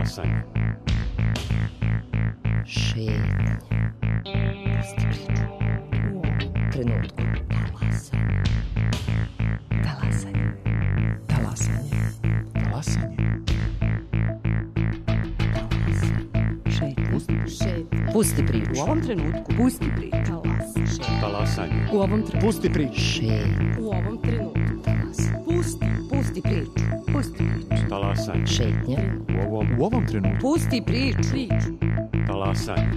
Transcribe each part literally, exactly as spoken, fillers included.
Talasanje. Šetnja. Pusti priču. U ovom trenutku. Talasanje. Talasanje. Talasanje. Talasanje. Šetnja. Pusti, Pusti priču. u ovom trenutku. Pusti priču. Talasanje. U ovom trenutku. Pusti priču. Šetnja. U ovom trenutku. Talasanje. Pusti. Pusti priču. Pusti priču. Talasanje. Šetnja. U ovom, U ovom trenutku. Pusti priču. Priču. talasanje.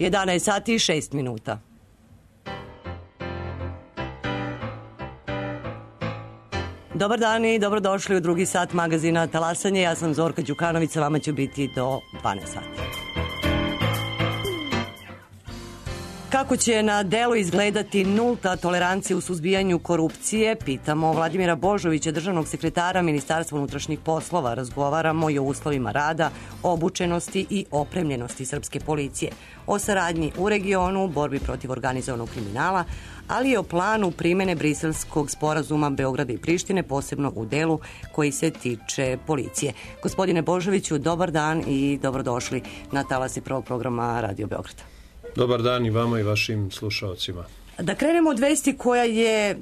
jedanaest sati i šest minuta. Dobar dan i dobrodošli u drugi sat magazina Talasanje. Ja sam Zorka Đukanović, sa vama ću biti do dvanaest sati. Kako će na delu izgledati nulta tolerancija u suzbijanju korupcije, pitamo Vladimira Božovića, državnog sekretara Ministarstva unutrašnjih poslova. Razgovaramo i o uslovima rada, obučenosti i opremljenosti srpske policije, o saradnji u regionu, borbi protiv organizovanog kriminala, ali i o planu primene Briselskog sporazuma Beograda i Prištine, posebno u delu koji se tiče policije. Gospodine Božoviću, dobar dan i dobrodošli na talase prvog programa Radio Beograda. Dobar dan i vama i vašim slušalcima. Da krenemo od vesti koja je e,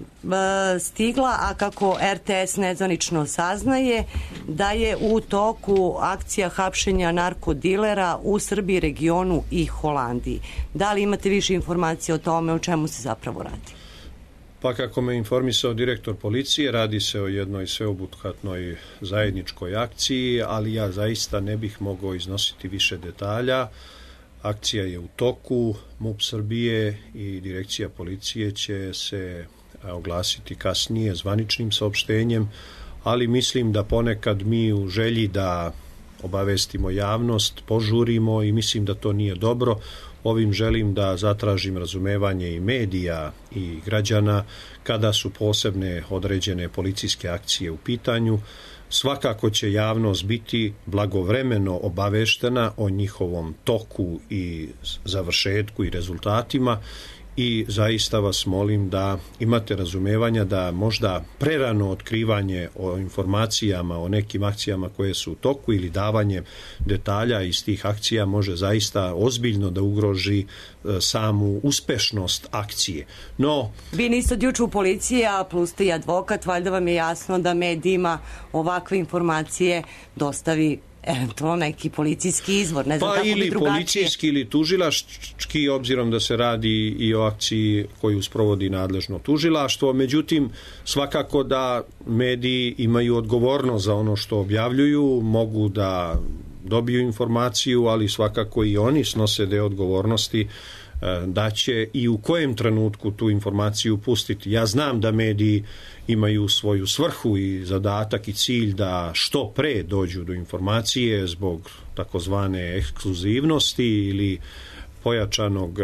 stigla, a kako er te es nezvanično saznaje, da je u toku akcija hapšenja narkodilera u Srbiji, regionu i Holandiji. Da li imate više informacije o tome, o čemu se zapravo radi? Pa kako me informisao direktor policije, radi se o jednoj sveobuhvatnoj zajedničkoj akciji, ali ja zaista ne bih mogao iznositi više detalja. Akcija je u toku, MUP Srbije i direkcija policije će se oglasiti kasnije zvaničnim saopštenjem, ali mislim da ponekad mi u želji da obavestimo javnost požurimo i mislim da to nije dobro. Ovim želim da zatražim razumevanje i medija i građana kada su posebne određene policijske akcije u pitanju. Svakako će javnost biti blagovremeno obaveštena o njihovom toku i završetku i rezultatima i zaista vas molim da imate razumevanja da možda prerano otkrivanje o informacijama o nekim akcijama koje su u toku ili davanje detalja iz tih akcija može zaista ozbiljno da ugroži samu uspešnost akcije. No, vi niste od juče u policiji, a plus ste i advokat, valjda vam je jasno da medijima ovakve informacije dostavi eventualno neki policijski izvor. Ne znam pa kako ili bi drugačije. policijski ili tužilački, obzirom da se radi i o akciji koju sprovodi nadležno tužilaštvo. Međutim, svakako da mediji imaju odgovornost za ono što objavljuju, mogu da dobiju informaciju, ali svakako i oni snose deo odgovornosti da će i u kojem trenutku tu informaciju pustiti. Ja znam da mediji imaju svoju svrhu i zadatak i cilj da što pre dođu do informacije zbog takozvane ekskluzivnosti ili pojačanog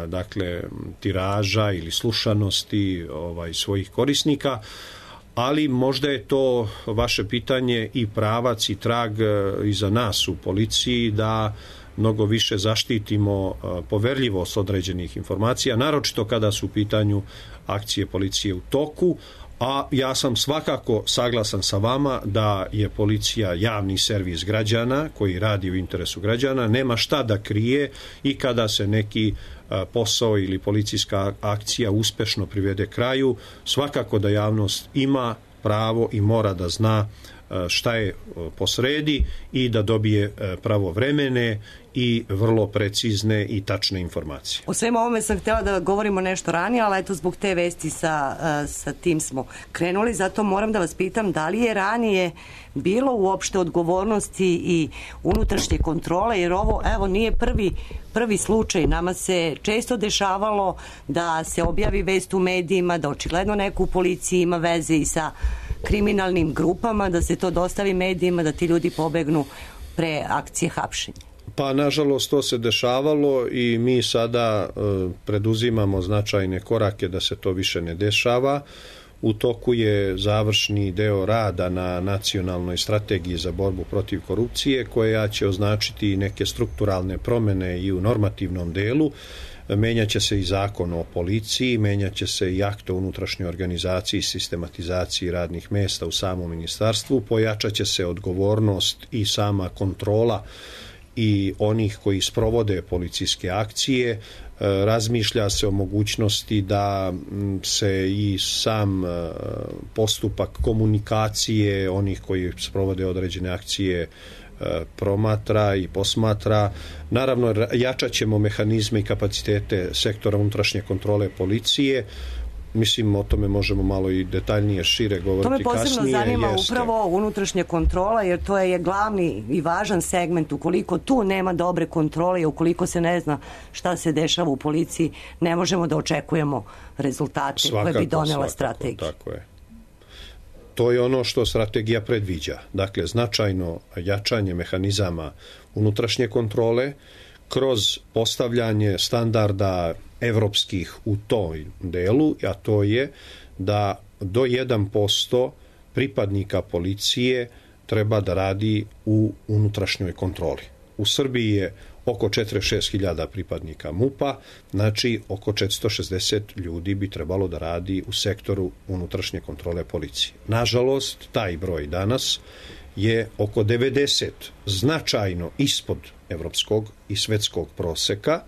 dakle tiraža ili slušanosti ovaj svojih korisnika, ali možda je to vaše pitanje i pravac i trag i za nas u policiji da mnogo više zaštitimo poverljivost određenih informacija, naročito kada su u pitanju akcije policije u toku, a ja sam svakako saglasan sa vama da je policija javni servis građana koji radi u interesu građana, nema šta da krije i kada se neki posao ili policijska akcija uspešno privede kraju, svakako da javnost ima pravo i mora da zna šta je posredi i da dobije pravovremene i vrlo precizne i tačne informacije. O svemu ovome sam htjela da govorimo nešto ranije, ali eto zbog te vesti sa, sa tim smo krenuli, zato moram da vas pitam da li je ranije bilo uopšte odgovornosti i unutrašnje kontrole, jer ovo evo nije prvi, prvi slučaj. Nama se često dešavalo da se objavi vest u medijima, da očigledno neko u policiji ima veze i sa kriminalnim grupama, da se to dostavi medijima, da ti ljudi pobegnu pre akcije hapšenja. Pa, nažalost, to se dešavalo i mi sada e, preduzimamo značajne korake da se to više ne dešava. U toku je završni deo rada na nacionalnoj strategiji za borbu protiv korupcije, koja će označiti neke strukturalne promene i u normativnom delu. Menjaće se i zakon o policiji, menjaće se i akt o unutrašnjoj organizaciji i sistematizaciji radnih mesta u samom ministarstvu, pojačaće se odgovornost i sama kontrola i onih koji sprovode policijske akcije. Razmišlja se o mogućnosti da se i sam postupak komunikacije onih koji sprovode određene akcije promatra i posmatra. Naravno, jačat ćemo mehanizme i kapacitete sektora unutrašnje kontrole policije. Mislim, o tome možemo malo i detaljnije, šire govoriti kasnije. To me posebno kasnije, zanima jeste. upravo unutrašnja kontrola, jer to je glavni i važan segment. Ukoliko tu nema dobre kontrole i ukoliko se ne zna šta se dešava u policiji, ne možemo da očekujemo rezultate svakako, koje bi donela svakako, strategija. Tako je. To je ono što strategija predviđa. Dakle, značajno jačanje mehanizama unutrašnje kontrole kroz postavljanje standarda evropskih u toj delu, a to je da do jedan posto pripadnika policije treba da radi u unutrašnjoj kontroli. U Srbiji je oko četrdeset šest hiljada pripadnika MUP-a, znači oko četiristo šezdeset ljudi bi trebalo da radi u sektoru unutrašnje kontrole policije. Nažalost, taj broj danas je oko devedeset, značajno ispod evropskog i svetskog proseka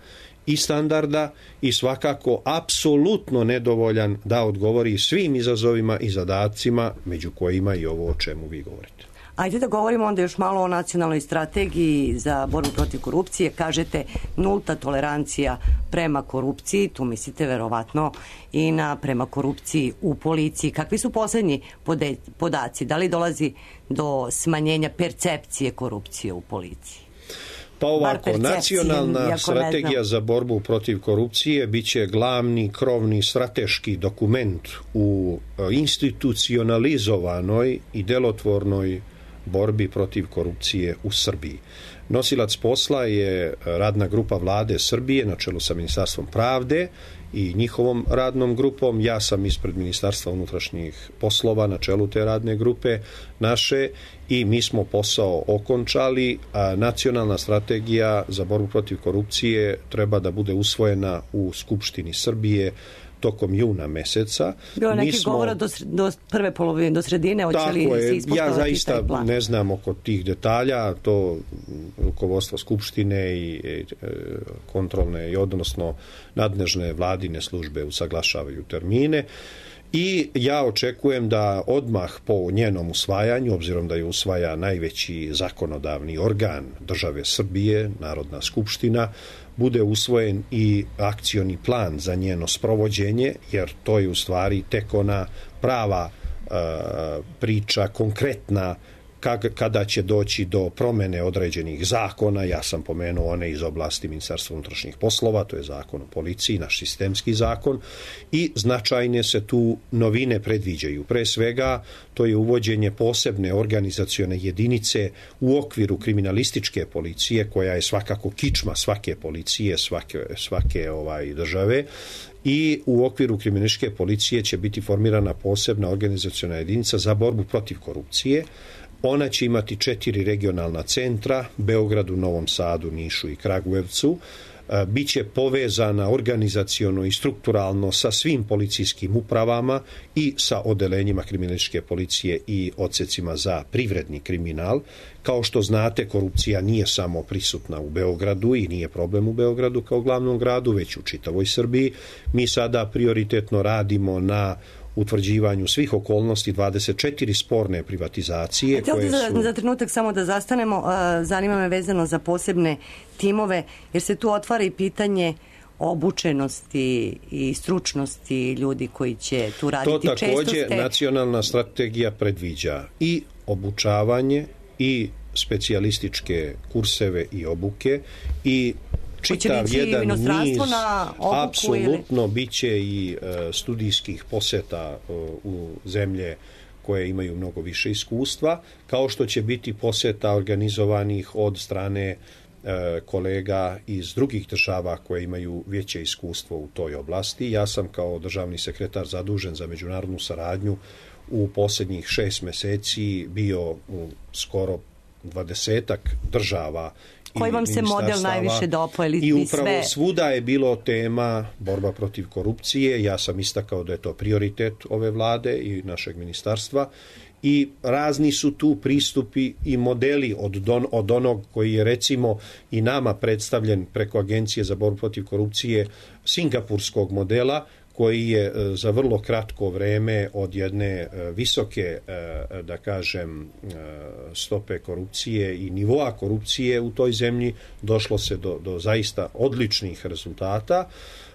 i standarda i svakako apsolutno nedovoljan da odgovori svim izazovima i zadacima, među kojima i ovo o čemu vi govorite. Ajde da govorimo onda još malo o nacionalnoj strategiji za borbu protiv korupcije. Kažete nulta tolerancija prema korupciji, tu mislite verovatno i na prema korupciji u policiji. Kakvi su poslednji podaci? Da li dolazi do smanjenja percepcije korupcije u policiji? Pa ovako, nacionalna strategija za borbu protiv korupcije biće glavni krovni strateški dokument u institucionalizovanoj i delotvornoj borbi protiv korupcije u Srbiji. Nosilac posla je radna grupa vlade Srbije na čelu sa Ministarstvom pravde i njihovom radnom grupom. Ja sam ispred Ministarstva unutrašnjih poslova na čelu te radne grupe naše i mi smo posao okončali, a nacionalna strategija za borbu protiv korupcije treba da bude usvojena u Skupštini Srbije tokom juna meseca. Bilo neki smo... govora do, do prve polovine, do sredine, hoće li se ispoštovati ja zaista ne znam oko tih detalja, to rukovodstvo Skupštine i, i kontrolne i odnosno nadležne vladine službe usaglašavaju termine. I ja očekujem da odmah po njenom usvajanju, obzirom da je usvaja najveći zakonodavni organ države Srbije, Narodna skupština, bude usvojen i akcioni plan za njeno sprovođenje, jer to je u stvari tek ona prava e, priča, konkretna, kada će doći do promene određenih zakona. Ja sam pomenuo one iz oblasti Ministarstva unutrašnjih poslova, to je zakon o policiji, naš sistemski zakon, i značajne se tu novine predviđaju. Pre svega, to je uvođenje posebne organizacione jedinice u okviru kriminalističke policije, koja je svakako kičma svake policije, svake, svake ovaj, države, i u okviru kriminalističke policije će biti formirana posebna organizaciona jedinica za borbu protiv korupcije. Ona će imati četiri regionalna centra, Beogradu, Novom Sadu, Nišu i Kragujevcu. Biće povezana organizaciono i strukturalno sa svim policijskim upravama i sa odelenjima kriminalističke policije i odsecima za privredni kriminal. Kao što znate, korupcija nije samo prisutna u Beogradu i nije problem u Beogradu kao glavnom gradu, već u čitavoj Srbiji. Mi sada prioritetno radimo na utvrđivanju svih okolnosti dvadeset četiri sporne privatizacije. Koje su... za, za trenutak samo da zastanemo, zanima me vezano za posebne timove, jer se tu otvara i pitanje obučenosti i stručnosti ljudi koji će tu raditi. To takođe ste... nacionalna strategija predviđa i obučavanje i specijalističke kurseve i obuke i čitav jedan niz, apsolutno ili... bit će i uh, studijskih poseta uh, u zemlje koje imaju mnogo više iskustva, kao što će biti poseta organizovanih od strane kolega iz drugih država koje imaju veće iskustvo u toj oblasti. Ja sam kao državni sekretar zadužen za međunarodnu saradnju u posljednjih šest mjeseci bio u skoro dvadesetak država. Koji vam se model najviše dopao? I upravo sve... svuda je bilo tema borba protiv korupcije. Ja sam istakao da je to prioritet ove vlade i našeg ministarstva. I razni su tu pristupi i modeli od, don, od onog koji je recimo i nama predstavljen preko Agencije za borbu protiv korupcije singapurskog modela, koji je za vrlo kratko vreme od jedne visoke, da kažem, stope korupcije i nivoa korupcije u toj zemlji došlo se do, do zaista odličnih rezultata.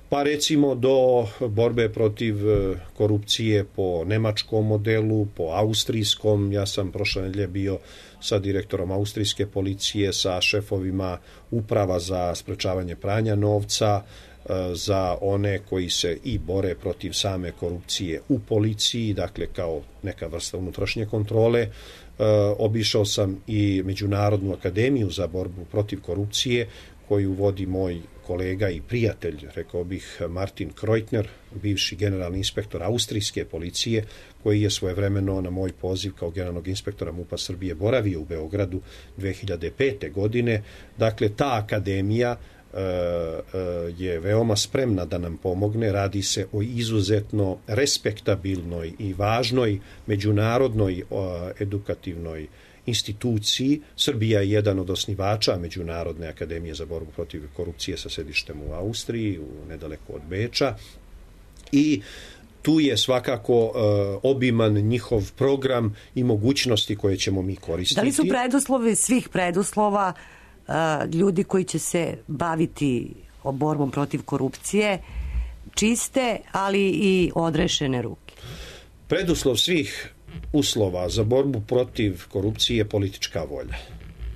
Pa recimo do borbe protiv korupcije po nemačkom modelu, po austrijskom. Ja sam prošle nedelje bio sa direktorom austrijske policije, sa šefovima uprava za sprečavanje pranja novca, za one koji se i bore protiv same korupcije u policiji, dakle kao neka vrsta unutrašnje kontrole. Obišao sam i Međunarodnu akademiju za borbu protiv korupcije, koju vodi moj kolega i prijatelj, rekao bih, Martin Kreutner, bivši generalni inspektor austrijske policije, koji je svojevremeno na moj poziv kao generalnog inspektora MUP-a Srbije boravio u Beogradu dve hiljade pete. godine. Dakle, ta akademija e, e, je veoma spremna da nam pomogne. Radi se o izuzetno respektabilnoj i važnoj međunarodnoj o, edukativnoj instituciji. Srbija je jedan od osnivača Međunarodne akademije za borbu protiv korupcije sa sedištem u Austriji, u nedaleko od Beča. I tu je svakako uh, obiman njihov program i mogućnosti koje ćemo mi koristiti. Da li su preduslovi svih preduslova uh, ljudi koji će se baviti borbom protiv korupcije čiste, ali i odrešene ruke? Preduslov svih uslova za borbu protiv korupcije je politička volja.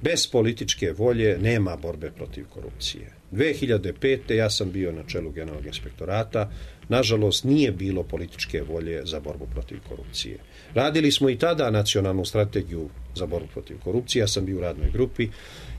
Bez političke volje nema borbe protiv korupcije. dve hiljade pete. ja sam bio na čelu generalnog inspektorata. Nažalost, nije bilo političke volje za borbu protiv korupcije. Radili smo i tada nacionalnu strategiju za borbu protiv korupcije. Ja sam bio u radnoj grupi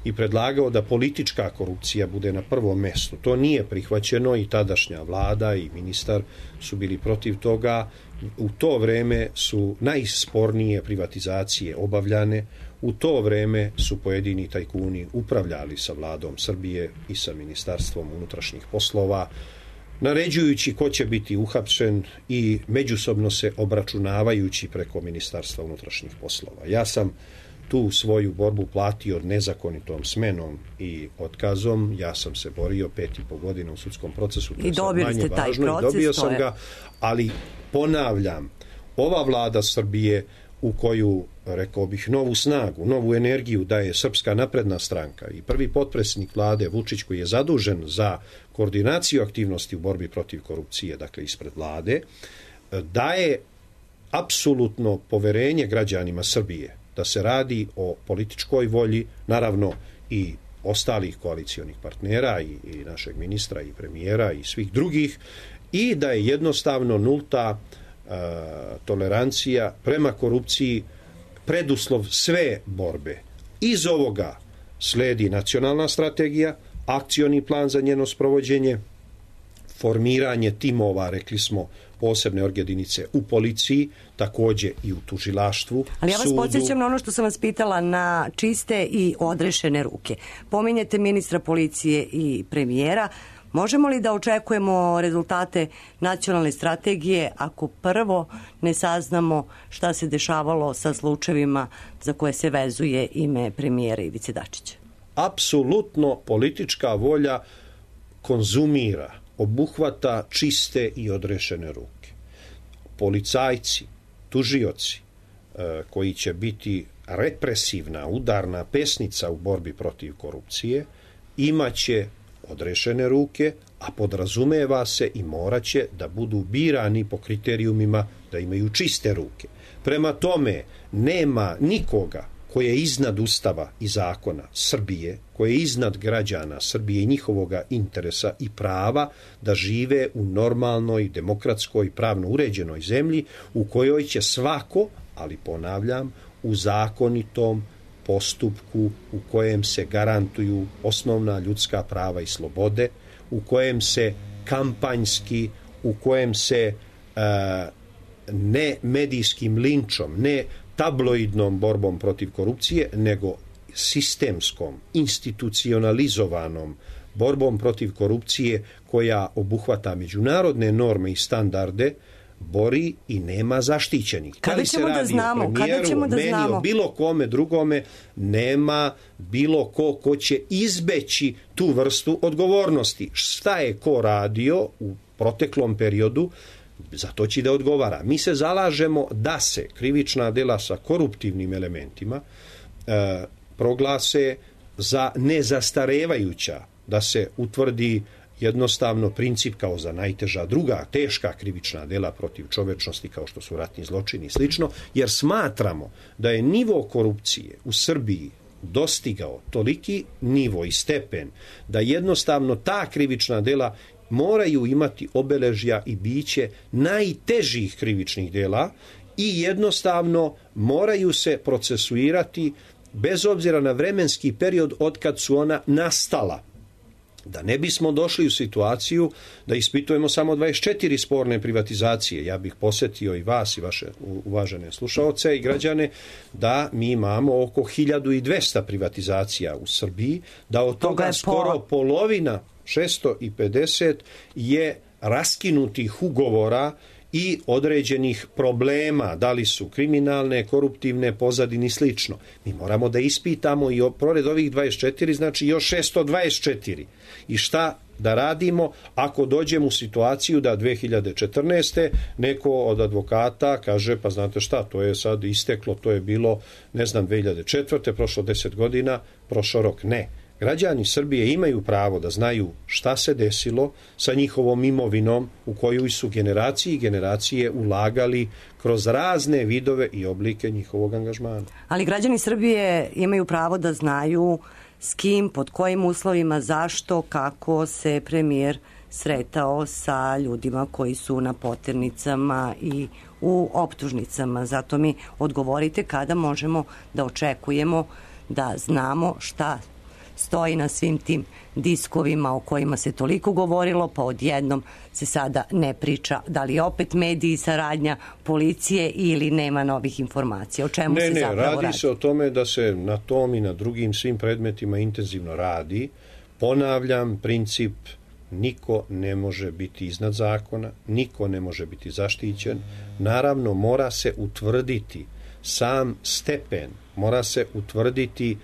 i predlagao da politička korupcija bude na prvom mjestu. To nije prihvaćeno i tadašnja vlada i ministar su bili protiv toga. U to vreme su najspornije privatizacije obavljane. U to vreme su pojedini tajkuni upravljali sa vladom Srbije i sa ministarstvom unutrašnjih poslova, naređujući ko će biti uhapšen i međusobno se obračunavajući preko ministarstva unutrašnjih poslova. Ja sam tu svoju borbu platio nezakonitom smenom i otkazom. Ja sam se borio pet i po godina u sudskom procesu. I dobili ste taj proces. Dobio sam ga, ali ponavljam, ova vlada Srbije u koju, rekao bih, novu snagu, novu energiju daje Srpska napredna stranka i prvi potpredsjednik vlade Vučić, koji je zadužen za koordinaciju aktivnosti u borbi protiv korupcije, dakle ispred vlade, daje apsolutno poverenje građanima Srbije da se radi o političkoj volji, naravno i ostalih koalicionih partnera i, i našeg ministra i premijera i svih drugih, i da je jednostavno nulta uh, tolerancija prema korupciji preduslov sve borbe. Iz ovoga sledi nacionalna strategija, akcioni plan za njeno sprovođenje, formiranje timova, rekli smo, posebne org-jedinice u policiji, također i u tužilaštvu. Ali ja vas sudu. podsjećam na ono što sam vas pitala, na čiste i odrešene ruke. Pominjete ministra policije i premijera. Možemo li da očekujemo rezultate nacionalne strategije ako prvo ne saznamo šta se dešavalo sa slučajevima za koje se vezuje ime premijera Ivice Dačića? Apsolutno politička volja konzumira, obuhvata čiste i odrešene ruke. Policajci, tužioci koji će biti represivna, udarna pesnica u borbi protiv korupcije, imaće odrešene ruke, a podrazumeva se i moraće da budu birani po kriterijumima da imaju čiste ruke. Prema tome, nema nikoga koje je iznad Ustava i zakona Srbije, koje je iznad građana Srbije i njihovoga interesa i prava da žive u normalnoj, demokratskoj, pravno uređenoj zemlji u kojoj će svako, ali ponavljam, u zakonitom postupku u kojem se garantuju osnovna ljudska prava i slobode, u kojem se kampanjski, u kojem se uh, ne medijskim linčom, ne tabloidnom borbom protiv korupcije, nego sistemskom, institucionalizovanom borbom protiv korupcije koja obuhvata međunarodne norme i standarde, bori i nema zaštićenih. Kada ćemo da znamo? Kada ćemo da meni, znamo? O bilo kome drugome nema bilo ko ko će izbeći tu vrstu odgovornosti. Šta je ko radio u proteklom periodu, za to će da odgovara. Mi se zalažemo da se krivična dela sa koruptivnim elementima e, proglase za nezastarevajuća, da se utvrdi jednostavno princip kao za najteža druga teška krivična dela protiv čovečnosti kao što su ratni zločini i slično, jer smatramo da je nivo korupcije u Srbiji dostigao toliki nivo i stepen da jednostavno ta krivična dela moraju imati obeležja i biće najtežih krivičnih dela i jednostavno moraju se procesuirati bez obzira na vremenski period od kad su ona nastala. Da ne bismo došli u situaciju da ispitujemo samo dvadeset četiri sporne privatizacije. Ja bih posjetio i vas i vaše uvažene slušaoce i građane da mi imamo oko hiljadu dvesta privatizacija u Srbiji, da od toga, toga skoro po... polovina, šesto pedeset, je raskinutih ugovora i određenih problema, da li su kriminalne, koruptivne, pozadine i slično. Mi moramo da ispitamo i pored ovih dvadeset četiri, znači još šesto dvadeset četiri. I šta da radimo ako dođemo u situaciju da dve hiljade četrnaeste. neko od advokata kaže, pa znate šta, to je sad isteklo, to je bilo, ne znam, dve hiljade četvrte. prošlo deset godina, prošao rok. Ne. Građani Srbije imaju pravo da znaju šta se desilo sa njihovom imovinom u koju su generacije i generacije ulagali kroz razne vidove i oblike njihovog angažmana. Ali građani Srbije imaju pravo da znaju s kim, pod kojim uslovima, zašto, kako se premijer sretao sa ljudima koji su na poternicama i u optužnicama. Zato mi odgovorite kada možemo da očekujemo da znamo šta stoji na svim tim diskovima o kojima se toliko govorilo, pa odjednom se sada ne priča. Da li opet mediji, saradnja policije ili nema novih informacija? O čemu ne, se ne, zapravo radi? Radi se o tome da se na tom i na drugim svim predmetima intenzivno radi. Ponavljam, princip niko ne može biti iznad zakona, niko ne može biti zaštićen. Naravno, mora se utvrditi sam stepen, mora se utvrditi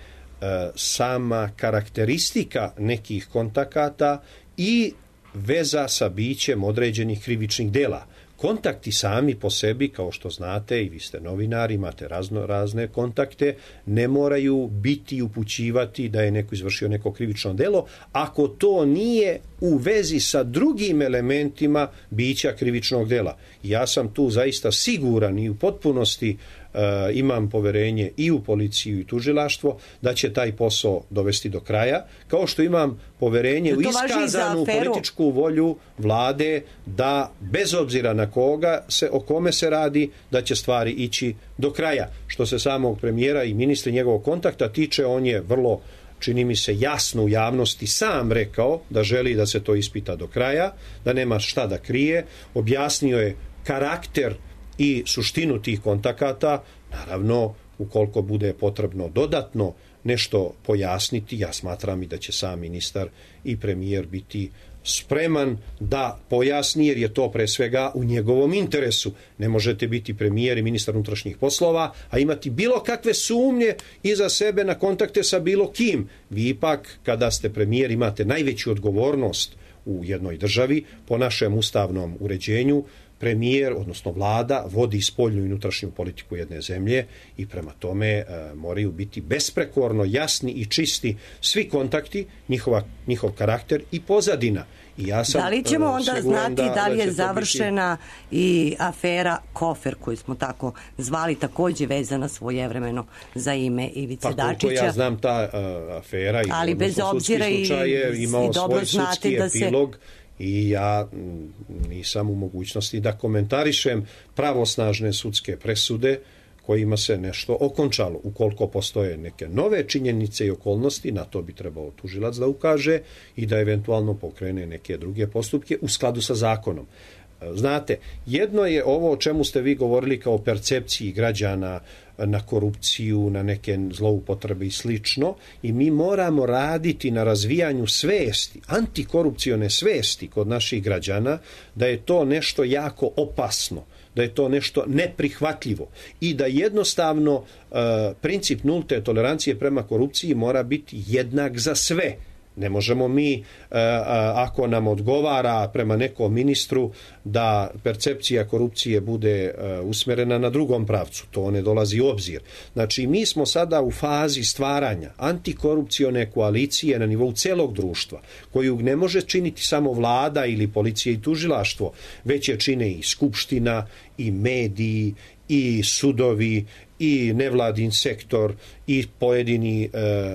sama karakteristika nekih kontakata i veza sa bićem određenih krivičnih dela. Kontakti sami po sebi, kao što znate, i vi ste novinari, imate razno, razne kontakte, ne moraju biti upućivati da je neko izvršio neko krivično delo, ako to nije u vezi sa drugim elementima bića krivičnog dela. Ja sam tu zaista siguran i u potpunosti uh, imam poverenje i u policiju i tužilaštvo da će taj posao dovesti do kraja, kao što imam poverenje u iskazanu političku volju vlade da bez obzira na koga se, o kome se radi, da će stvari ići do kraja. Što se samog premijera i ministra njegovog kontakta tiče, on je vrlo, čini mi se, jasno u javnosti sam rekao da želi da se to ispita do kraja, da nema šta da krije. Objasnio je karakter i suštinu tih kontakata. Naravno, ukoliko bude potrebno dodatno nešto pojasniti, ja smatram i da će sam ministar i premijer biti spreman da pojasni, jer je to pre svega u njegovom interesu. Ne možete biti premijer i ministar unutrašnjih poslova, a imati bilo kakve sumnje iza sebe na kontakte sa bilo kim. Vi ipak, kada ste premijer, imate najveću odgovornost u jednoj državi. Po našem ustavnom uređenju, premijer, odnosno vlada, vodi spoljnu i unutrašnju politiku jedne zemlje i prema tome e, moraju biti besprekorno jasni i čisti svi kontakti, njihova, njihov karakter i pozadina. I ja sam, da li ćemo onda znati da, da li je da završena biti... i afera Kofer, koju smo tako zvali, takođe vezana svojevremeno za ime Ivice pa, Dačića? Pa ja znam ta uh, afera i ali bez obzira i, je imao i dobro svoj sudski da se... epilog. I ja nisam u mogućnosti da komentarišem pravosnažne sudske presude kojima se nešto okončalo. Ukoliko postoje neke nove činjenice i okolnosti, na to bi trebao tužilac da ukaže i da eventualno pokrene neke druge postupke u skladu sa zakonom. Znate, jedno je ovo o čemu ste vi govorili kao percepciji građana na korupciju, na neke zloupotrebe i slično, i mi moramo raditi na razvijanju svesti, antikorupcione svesti kod naših građana, da je to nešto jako opasno, da je to nešto neprihvatljivo i da jednostavno uh, princip nulte tolerancije prema korupciji mora biti jednak za sve. Ne možemo mi, ako nam odgovara prema nekom ministru, da percepcija korupcije bude usmjerena na drugom pravcu. To ne dolazi u obzir. Znači, mi smo sada u fazi stvaranja antikorupcione koalicije na nivou celog društva, koju ne može činiti samo vlada ili policija i tužilaštvo, već je čine i skupština, i mediji, i sudovi, i nevladin sektor, i pojedini e,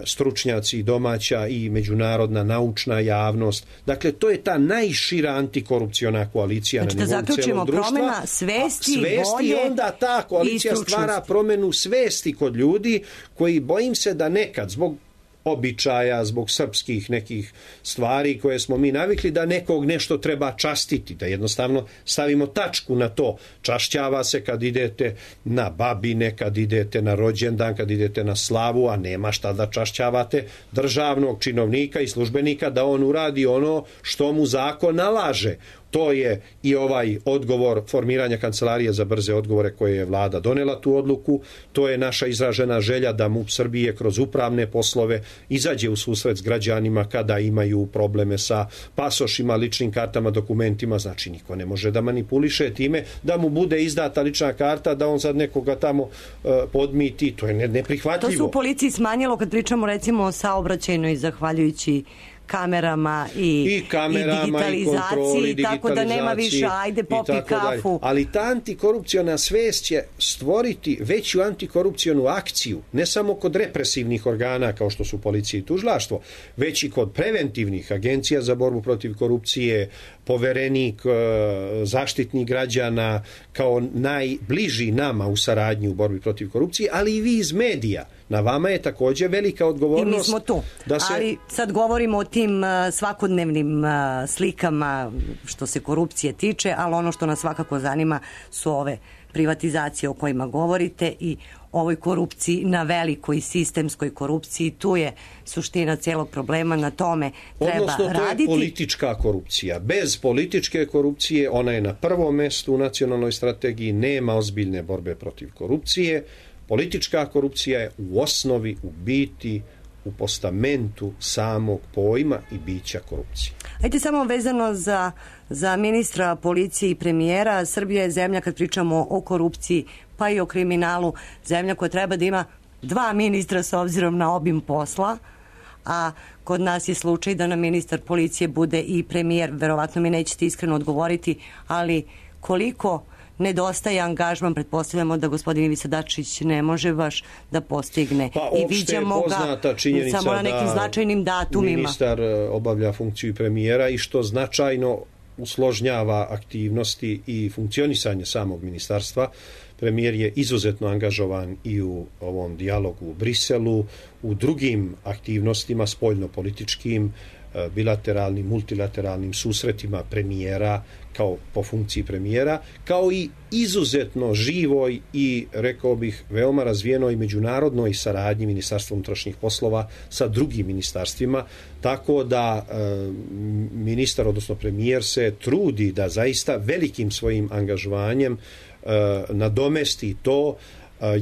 stručnjaci domaća i međunarodna naučna javnost. Dakle, to je ta najšira antikorupciona koalicija znači, na nivou celog društva. Promjena svesti, svesti volje i onda ta koalicija stvara promjenu svesti kod ljudi koji, bojim se da nekad zbog običaja, zbog srpskih nekih stvari koje smo mi navikli, da nekog nešto treba častiti, da jednostavno stavimo tačku na to. Čašćava se kad idete na babine, kad idete na rođendan, kad idete na slavu, a nema šta da čašćavate državnog činovnika i službenika da on uradi ono što mu zakon nalaže. To je i ovaj odgovor formiranja kancelarije za brze odgovore koje je vlada donela tu odluku. To je naša izražena želja da MUP Srbije kroz upravne poslove izađe u susret s građanima kada imaju probleme sa pasošima, ličnim kartama, dokumentima. Znači, niko ne može da manipuliše time da mu bude izdata lična karta, da on sad nekoga tamo uh, podmiti. To je neprihvatljivo. To se u policiji smanjilo kad pričamo recimo o saobraćajnoj, zahvaljujući kamerama i, I, kamerama, i digitalizaciji, i tako da nema više ajde popi kafu. Dalje. Ali ta antikorupciona svest će stvoriti veću antikorupcionu akciju, ne samo kod represivnih organa kao što su policija i tužilaštvo, već i kod preventivnih agencija za borbu protiv korupcije, poverenik, zaštitnik građana kao najbliži nama u saradnji u borbi protiv korupcije, ali i vi iz medija. Na vama je također velika odgovornost. I mi smo tu. Da se... Ali sad govorimo o tim svakodnevnim slikama što se korupcije tiče, ali ono što nas svakako zanima su ove privatizacije o kojima govorite i ovoj korupciji na velikoj sistemskoj korupciji. Tu je suština celog problema, na tome treba Odnosno, raditi. Odnosno, to je politička korupcija. Bez političke korupcije, ona je na prvom mestu u nacionalnoj strategiji, nema ozbiljne borbe protiv korupcije. Politička korupcija je u osnovi, u biti, u postamentu samog pojma i bića korupcije. Ajde samo vezano za, za ministra policije i premijera. Srbija je zemlja, kad pričamo o korupciji pa i o kriminalu, zemlja koja treba da ima dva ministra s obzirom na obim posla, a kod nas je slučaj da nam ministar policije bude i premijer. Verovatno mi nećete iskreno odgovoriti, ali koliko nedostaje angažman, pretpostavljamo da gospodin Ivica Dačić ne može baš da postigne. Pa, i viđamo ga samo na nekim značajnim datumima. Ministar obavlja funkciju premijera i što značajno usložnjava aktivnosti i funkcionisanje samog ministarstva. Premijer je izuzetno angažovan i u ovom dijalogu u Briselu, u drugim aktivnostima spoljno-političkim, bilateralnim, multilateralnim susretima premijera kao po funkciji premijera, kao i izuzetno živoj i, rekao bih, veoma razvijenoj međunarodnoj saradnji Ministarstva unutrašnjih poslova sa drugim ministarstvima, tako da e, ministar, odnosno premijer, se trudi da zaista velikim svojim angažovanjem e, nadomesti to.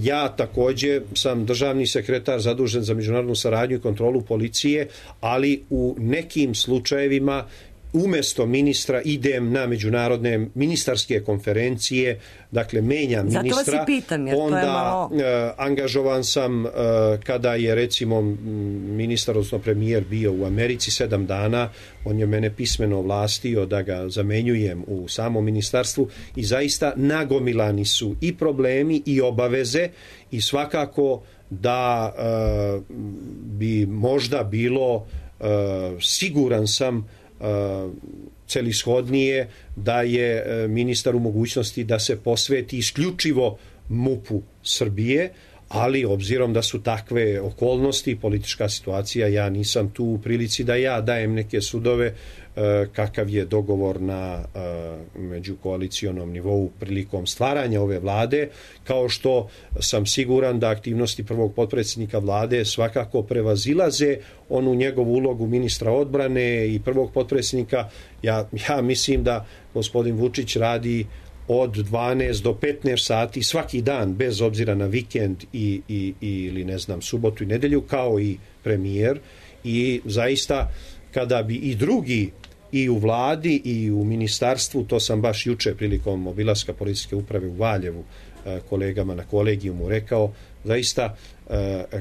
Ja također sam državni sekretar zadužen za međunarodnu saradnju i kontrolu policije, ali u nekim slučajevima umjesto ministra idem na međunarodne ministarske konferencije, dakle menjam ministra. Zato vas i pitam, jer onda to je malo... eh, angažovan sam eh, kada je recimo ministar, odnosno premijer bio u Americi sedam dana, on je mene pismeno ovlastio da ga zamenjujem u samom ministarstvu i zaista nagomilani su i problemi i obaveze i svakako da eh, bi možda bilo eh, siguran sam celishodnije da je ministar u mogućnosti da se posveti isključivo MUP-u Srbije, ali obzirom da su takve okolnosti, politička situacija, ja nisam tu u prilici da ja dajem neke sudove kakav je dogovor na međukoalicijonom nivou prilikom stvaranja ove vlade, kao što sam siguran da aktivnosti prvog potpredsjednika vlade svakako prevazilaze onu njegovu ulogu ministra odbrane i prvog potpredsjednika. Ja, ja mislim da gospodin Vučić radi od dvanaest do petnaest sati svaki dan, bez obzira na vikend i, i, ili ne znam subotu i nedelju, kao i premijer, i zaista kada bi i drugi i u vladi i u ministarstvu, to sam baš juče prilikom obilaska policijske uprave u Valjevu kolegama na kolegijumu rekao, zaista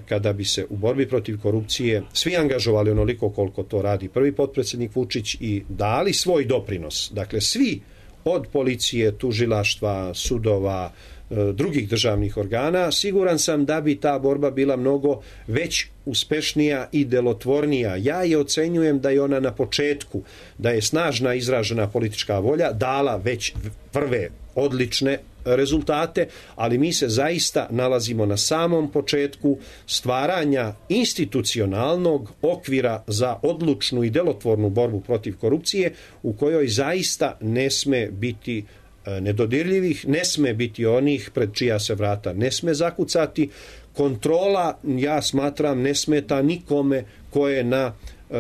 kada bi se u borbi protiv korupcije svi angažovali onoliko koliko to radi prvi potpredsjednik Vučić i dali svoj doprinos, dakle svi od policije, tužilaštva, sudova, drugih državnih organa, siguran sam da bi ta borba bila mnogo već uspešnija i delotvornija. Ja je ocenjujem da je ona na početku, da je snažna izražena politička volja dala već prve odlične rezultate, ali mi se zaista nalazimo na samom početku stvaranja institucionalnog okvira za odlučnu i delotvornu borbu protiv korupcije, u kojoj zaista ne sme biti nedodirljivih, ne sme biti onih pred čija se vrata ne sme zakucati. Kontrola, ja smatram, ne smeta nikome ko je na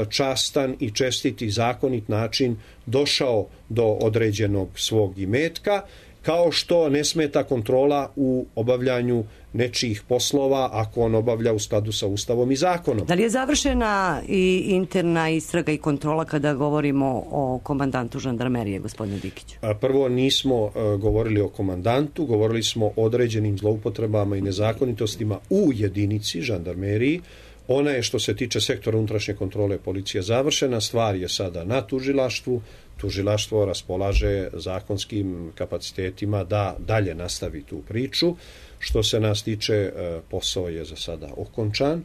častan i čestiti zakonit način došao do određenog svog imetka, kao što ne smeta kontrola u obavljanju nečijih poslova ako on obavlja u skladu sa Ustavom i zakonom. Da li je završena i interna istraga i kontrola kada govorimo o komandantu žandarmerije, gospodine Dikiću? Prvo, nismo govorili o komandantu, govorili smo o određenim zloupotrebama i nezakonitostima u jedinici žandarmeriji. Ona je, što se tiče sektora unutrašnje kontrole policije, završena. Stvar je sada na tužilaštvu. Tužilaštvo raspolaže zakonskim kapacitetima da dalje nastavi tu priču. Što se nas tiče, posao je za sada okončan.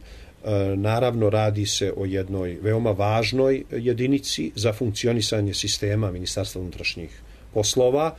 Naravno, radi se o jednoj veoma važnoj jedinici za funkcionisanje sistema Ministarstva unutrašnjih poslova.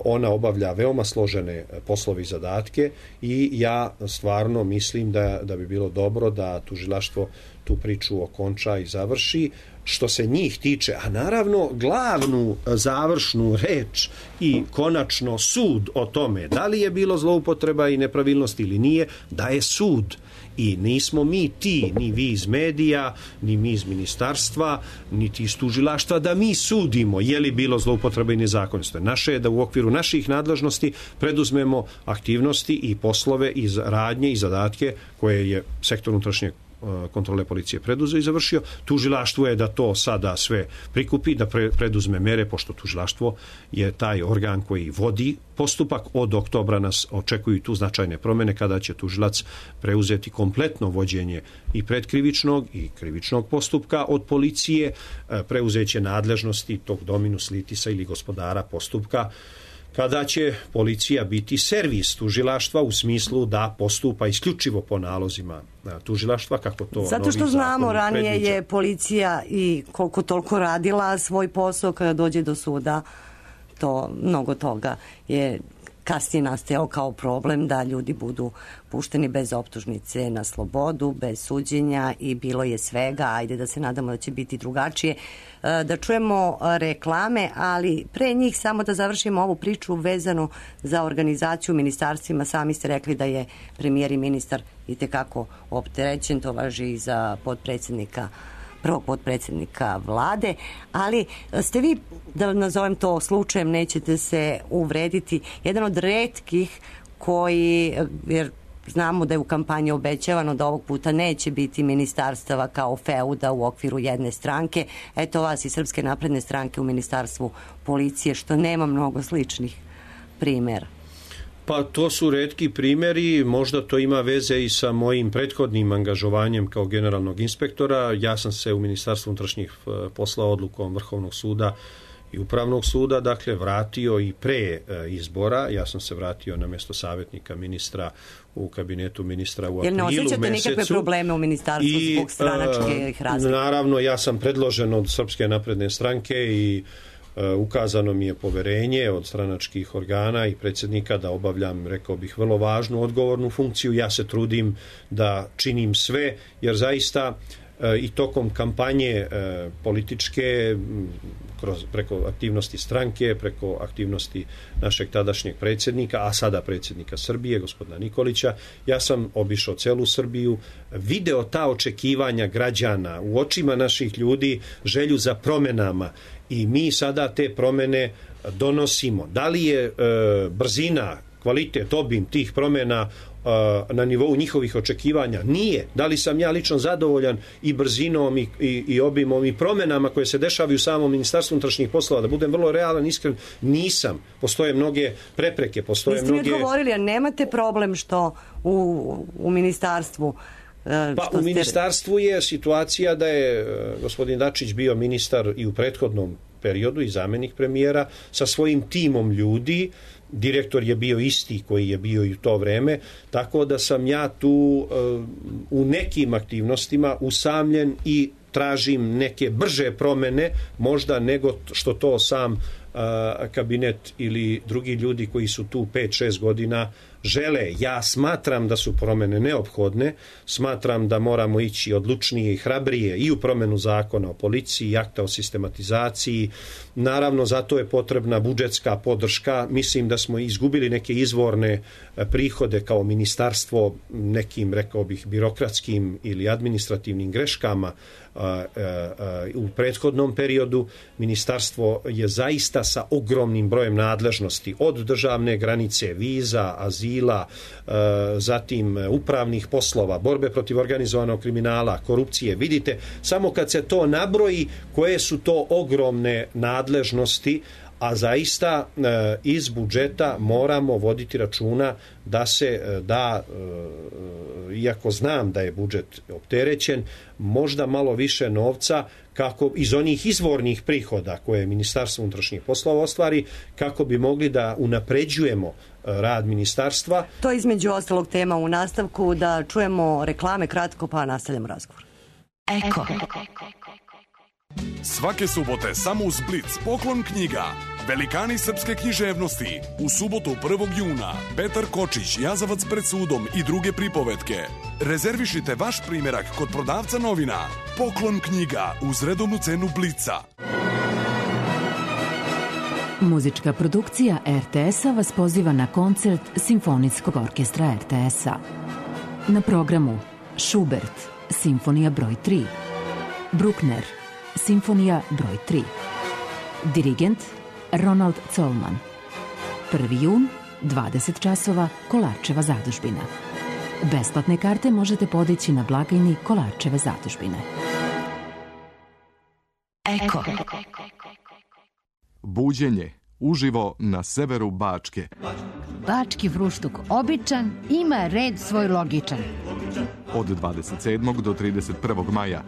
Ona obavlja veoma složene poslove i zadatke i ja stvarno mislim da, da bi bilo dobro da tužilaštvo tu priču okonča i završi. Što se njih tiče, a naravno glavnu završnu reč i konačno sud o tome da li je bilo zloupotreba i nepravilnosti ili nije, da je sud. I nismo mi ti, ni vi iz medija, ni mi iz ministarstva, niti iz tužilaštva, da mi sudimo je li bilo zloupotreba i nezakonitosti. Naše je da u okviru naših nadležnosti preduzmemo aktivnosti i poslove iz radnje i zadatke koje je sektor unutrašnje kontrole policije preduzeo i završio. Tužilaštvo je da to sada sve prikupi, da pre, preduzme mere, pošto tužilaštvo je taj organ koji vodi postupak. Od oktobra nas očekuju tu značajne promjene kada će tužilac preuzeti kompletno vođenje i predkrivičnog i krivičnog postupka od policije, preuzeće nadležnosti tog dominus litisa ili gospodara postupka, kada će policija biti servis tužilaštva u smislu da postupa isključivo po nalozima tužilaštva, kako to zato što znamo ranije predviđa. Je policija i koliko toliko radila svoj posao, kada dođe do suda to mnogo toga je kasnije nastajao kao problem da ljudi budu pušteni bez optužnice na slobodu, bez suđenja i bilo je svega. Ajde da se nadamo da će biti drugačije. Da čujemo reklame, ali pre njih samo da završimo ovu priču vezanu za organizaciju ministarstvima. Sami ste rekli da je premijer i ministar itekako opterećen, to važi i za potpredsjednika prvog potpredsjednika vlade, ali ste vi, da nazovem to slučajem, nećete se uvrediti, jedan od retkih koji, jer znamo da je u kampanji obećavano da ovog puta neće biti ministarstava kao feuda u okviru jedne stranke. Eto vas iz Srpske napredne stranke u ministarstvu policije, što nema mnogo sličnih primjera. Pa to su retki primjeri, možda to ima veze i sa mojim prethodnim angažovanjem kao generalnog inspektora. Ja sam se u Ministarstvu unutrašnjih poslova odlukom Vrhovnog suda i Upravnog suda, dakle, vratio i pre izbora. Ja sam se vratio na mjesto savjetnika ministra u kabinetu ministra u aprilu mesecu. Jer ne osjećate nikakve probleme u ministarstvu zbog stranačkih razlika? Naravno, ja sam predložen od Srpske napredne stranke i ukazano mi je poverenje od stranačkih organa i predsjednika da obavljam, rekao bih, vrlo važnu odgovornu funkciju. Ja se trudim da činim sve, jer zaista i tokom kampanje političke, kroz, preko aktivnosti stranke, preko aktivnosti našeg tadašnjeg predsjednika, a sada predsjednika Srbije, gospodina Nikolića, ja sam obišao celu Srbiju, video ta očekivanja građana u očima naših ljudi, želju za promenama, i mi sada te promene donosimo. Da li je e, brzina, kvalitet, obim tih promjena na nivou njihovih očekivanja? Nije. Da li sam ja lično zadovoljan i brzinom i, i, i obimom i promjenama koje se dešavaju u samom Ministarstvu unutrašnjih poslova? Da budem vrlo realan, iskren, nisam. Postoje mnoge prepreke, postoje Niste mnoge... mi odgovorili, a nemate problem što u, u ministarstvu... Pa u ministarstvu je situacija da je gospodin Dačić bio ministar i u prethodnom periodu i zamjenik premijera sa svojim timom ljudi. Direktor je bio isti koji je bio i u to vreme, tako da sam ja tu uh, u nekim aktivnostima usamljen i tražim neke brže promjene možda nego što to sam uh, kabinet ili drugi ljudi koji su tu pet šest godina žele. Ja smatram da su promjene neophodne, smatram da moramo ići odlučnije i hrabrije i u promjenu zakona o policiji i akta o sistematizaciji. Naravno, zato je potrebna budžetska podrška. Mislim da smo izgubili neke izvorne prihode kao ministarstvo nekim, rekao bih, birokratskim ili administrativnim greškama u prethodnom periodu. Ministarstvo je zaista sa ogromnim brojem nadležnosti, od državne granice, viza, azila, zatim upravnih poslova, borbe protiv organizovanog kriminala, korupcije. Vidite, samo kad se to nabroji, koje su to ogromne nadležnosti, a zaista iz budžeta moramo voditi računa da se da, iako znam da je budžet opterećen, možda malo više novca kako iz onih izvornih prihoda koje Ministarstvo unutrašnjih poslova ostvari, kako bi mogli da unapređujemo rad ministarstva. To je između ostalog tema u nastavku, da čujemo reklame kratko pa nastavljamo razgovor. Eko. Svake subote samo uz Blic poklon knjiga. Velikani srpske književnosti. U subotu prvog juna Petar Kočić, Jazavac pred sudom i druge pripovetke. Rezervišite vaš primjerak kod prodavca novina. Poklon knjiga uz redovnu cenu Blica. Muzička produkcija er te es-a vas poziva na koncert Simfonijskog orkestra er te es-a. Na programu Schubert, Simfonija broj tri. Bruckner, Simfonija broj tri. Dirigent Ronald Colman. prvi jun, dvadeset časova, Kolarčeva zadužbina. Besplatne karte možete podići na blagajni Kolarčeve zadužbine. Eko. Buđenje uživo na severu Bačke. Bački fruštuk običan, ima red svoj logičan. Od dvadeset sedmog do trideset prvog maja.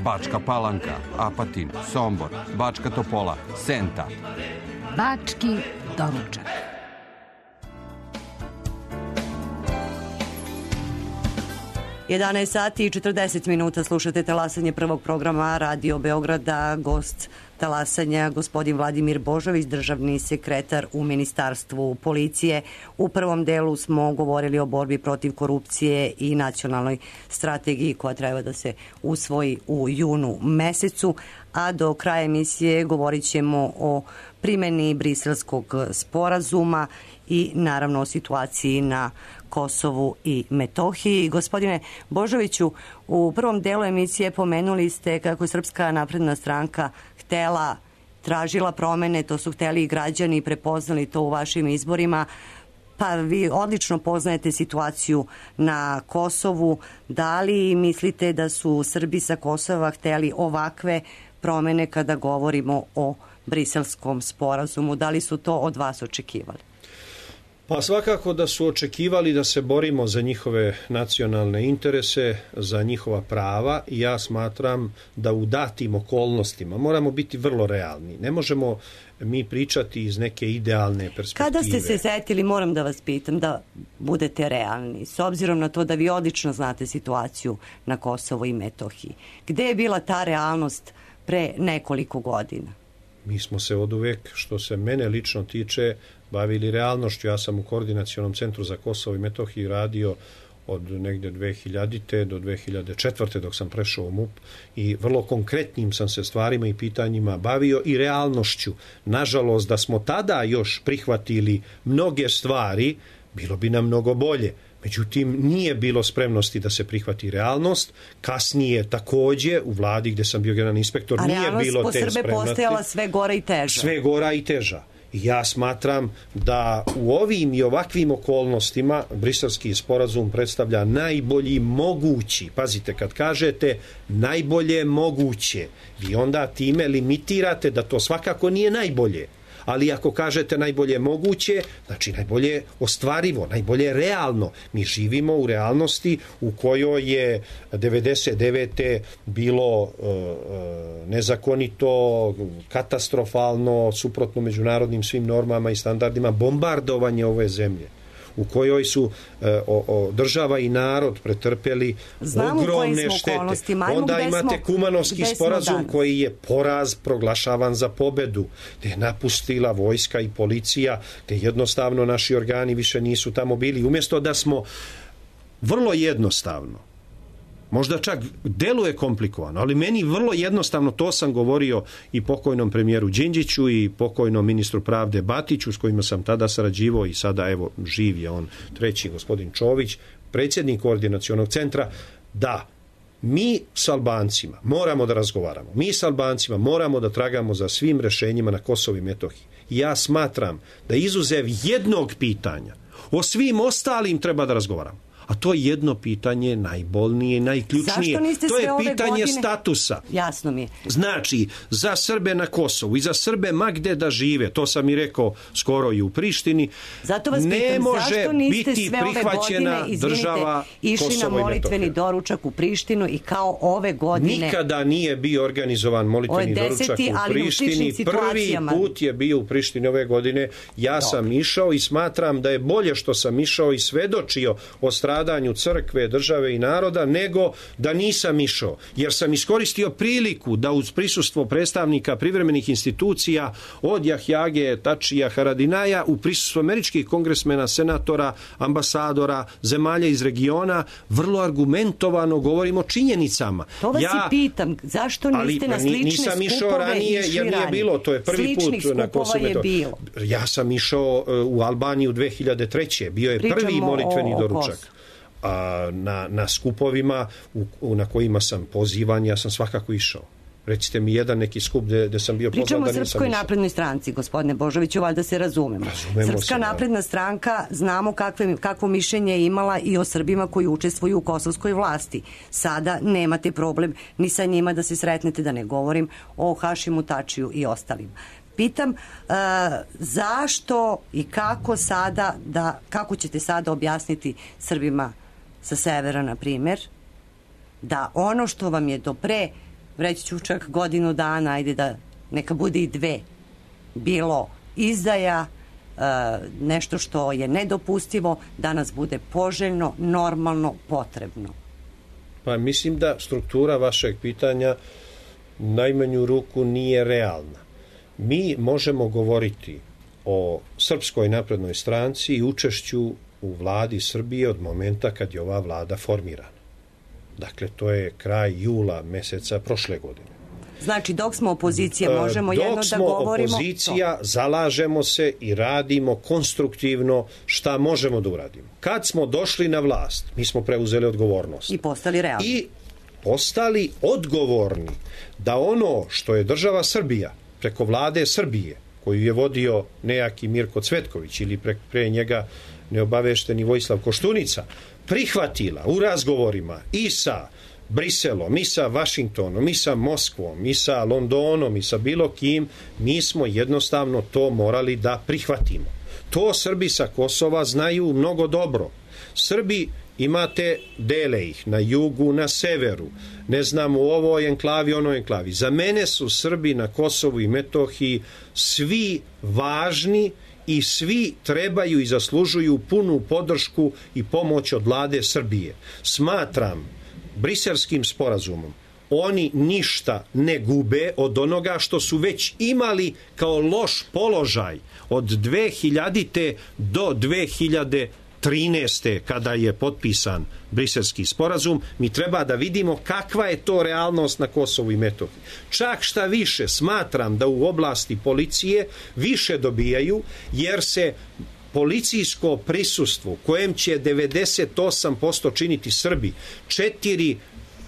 Bačka Palanka, Apatin, Sombor, Bačka Topola, Senta. Bački doručak. jedanaest sati i četrdeset minuta, slušate talasanje prvog programa Radio Beograda. Gost talasanja gospodin Vladimir Božović, državni sekretar u Ministarstvu policije. U prvom delu smo govorili o borbi protiv korupcije i nacionalnoj strategiji koja treba da se usvoji u junu mesecu, a do kraja emisije govorit ćemo o primjeni Briselskog sporazuma i naravno o situaciji na Kosovu i Metohiji. Gospodine Božoviću, u prvom delu emisije pomenuli ste kako je Srpska napredna stranka htela, tražila promene, to su hteli i građani, prepoznali to u vašim izborima, pa vi odlično poznajete situaciju na Kosovu. Da li mislite da su Srbi sa Kosova hteli ovakve promene kada govorimo o Briselskom sporazumu? Da li su to od vas očekivali? Pa svakako da su očekivali da se borimo za njihove nacionalne interese, za njihova prava, i ja smatram da u datim okolnostima moramo biti vrlo realni. Ne možemo mi pričati iz neke idealne perspektive. Kada ste se setili, moram da vas pitam, da budete realni, s obzirom na to da vi odlično znate situaciju na Kosovu i Metohiji? Gde je bila ta realnost pre nekoliko godina? mi smo se oduvek, što se mene lično tiče, bavili realnošću. Ja sam u Koordinacionom centru za Kosovo i Metohiju radio od negde dve hiljadite do dve hiljade četvrte dok sam prešao u M U P i vrlo konkretnim sam se stvarima i pitanjima bavio i realnošću. Nažalost, da smo tada još prihvatili mnoge stvari, bilo bi nam mnogo bolje. Međutim, nije bilo spremnosti da se prihvati realnost. Kasnije takođe u vladi gde sam bio generalni inspektor nije bilo te spremnosti. A realnost po Srbe postajala sve gora i teža. Sve gora i teža. Ja smatram da u ovim i ovakvim okolnostima Briselski sporazum predstavlja najbolji mogući, pazite, kad kažete najbolje moguće, vi onda time limitirate da to svakako nije najbolje. Ali ako kažete najbolje moguće, znači najbolje ostvarivo, najbolje realno. Mi živimo u realnosti u kojoj je devedeset devete bilo uh, nezakonito, katastrofalno, suprotno međunarodnim svim normama i standardima, bombardovanje ove zemlje, u kojoj su e, o, o, država i narod pretrpeli Znamo ogromne štete. Onda imate Kumanovski sporazum koji je poraz proglašavan za pobedu, gde je napustila vojska i policija, gde jednostavno naši organi više nisu tamo bili. Umjesto da smo vrlo jednostavno, možda čak deluje komplikovano, ali meni vrlo jednostavno, to sam govorio i pokojnom premijeru Đinđiću i pokojnom ministru pravde Batiću, s kojima sam tada sarađivao i sada evo živ je on treći, gospodin Čović, predsjednik Koordinacionog centra, da mi s Albancima moramo da razgovaramo, mi s Albancima moramo da tragamo za svim rešenjima na Kosovu i Metohiji. Ja smatram da izuzev jednog pitanja, o svim ostalim treba da razgovaramo. A to je jedno pitanje najbolnije i najključnije. To je pitanje godine... statusa. Jasno mi je. Znači, za Srbe na Kosovu i za Srbe ma gde da žive, to sam i rekao skoro i u Prištini, zato vas ne pitam, može zašto niste biti sve prihvaćena ove godine, izvinite, država išli Kosovo na molitveni doručak u Prištinu i kao ove godine... Nikada nije bio organizovan molitveni doručak u Prištini. Prvi put je bio u Prištini ove godine. Ja Dobre. sam išao i smatram da je bolje što sam išao i svedočio o stradanju crkve, države i naroda, nego da nisam išao. Jer sam iskoristio priliku da uz prisustvo predstavnika privremenih institucija od Jahjage, Tačija, Haradinaja, u prisustvu američkih kongresmena, senatora, ambasadora, zemalja iz regiona, vrlo argumentovano govorimo o činjenicama. To vas ja, i pitam, zašto niste na slične nisam skupove išao ranije, jer nije ranije. Bilo, to je prvi Sličnih put na Kosovu. Ja sam išao u Albaniju dve hiljade treće. Bio je Pričamo prvi molitveni o, o doručak. A na, na skupovima u, u, na kojima sam pozivan, ja sam svakako išao. Recite mi jedan neki skup gde, gde sam bio pozvan da nisam išao. Pričamo o Srpskoj naprednoj stranci, gospodine Božoviću, valjda se razumemo. Razumemo Srpska se, napredna stranka, znamo kakve, kakvo mišljenje je imala i o Srbima koji učestvuju u kosovskoj vlasti. Sada nemate problem ni sa njima da se sretnete, da ne govorim o Hašimu Tačiju i ostalim. Pitam uh, zašto i kako sada, da, kako ćete sada objasniti Srbima sa severa, na primjer, da ono što vam je do pre, reći ću čak godinu dana, ajde da neka bude i dve, bilo izdaja, uh, nešto što je nedopustivo, danas bude poželjno, normalno, potrebno. Pa mislim da struktura vašeg pitanja najmanju ruku nije realna. Mi možemo govoriti o Srpskoj naprednoj stranci i učešću u vladi Srbije od momenta kad je ova vlada formirana. Dakle, to je kraj jula meseca prošle godine. Znači, dok smo opozicija, možemo jedno da govorimo... Dok smo opozicija, to. Zalažemo se i radimo konstruktivno šta možemo da uradimo. Kad smo došli na vlast, mi smo preuzeli odgovornost. I postali realni. I postali odgovorni da ono što je država Srbija preko vlade Srbije, koju je vodio nejaki Mirko Cvetković ili pre, pre njega neobavešteni Vojislav Koštunica, prihvatila u razgovorima i sa Briselom, i sa Vašingtonom, i sa Moskvom, i sa Londonom, i sa bilo kim, mi smo jednostavno to morali da prihvatimo. To Srbi sa Kosova znaju mnogo dobro. Srbi imate, dele ih na jugu, na severu, ne znam, u ovoj enklavi, onoj enklavi. Za mene su Srbi na Kosovu i Metohiji svi važni i svi trebaju i zaslužuju punu podršku i pomoć od vlade Srbije. Smatram Briselskim sporazumom oni ništa ne gube od onoga što su već imali kao loš položaj od dve hiljadite do dve hiljade trinaeste. kada je potpisan Briselski sporazum. Mi treba da vidimo kakva je to realnost na Kosovu i Metohiji. Čak šta više, smatram da u oblasti policije više dobijaju, jer se policijsko prisustvo kojem će devedeset osam posto činiti Srbi, četiri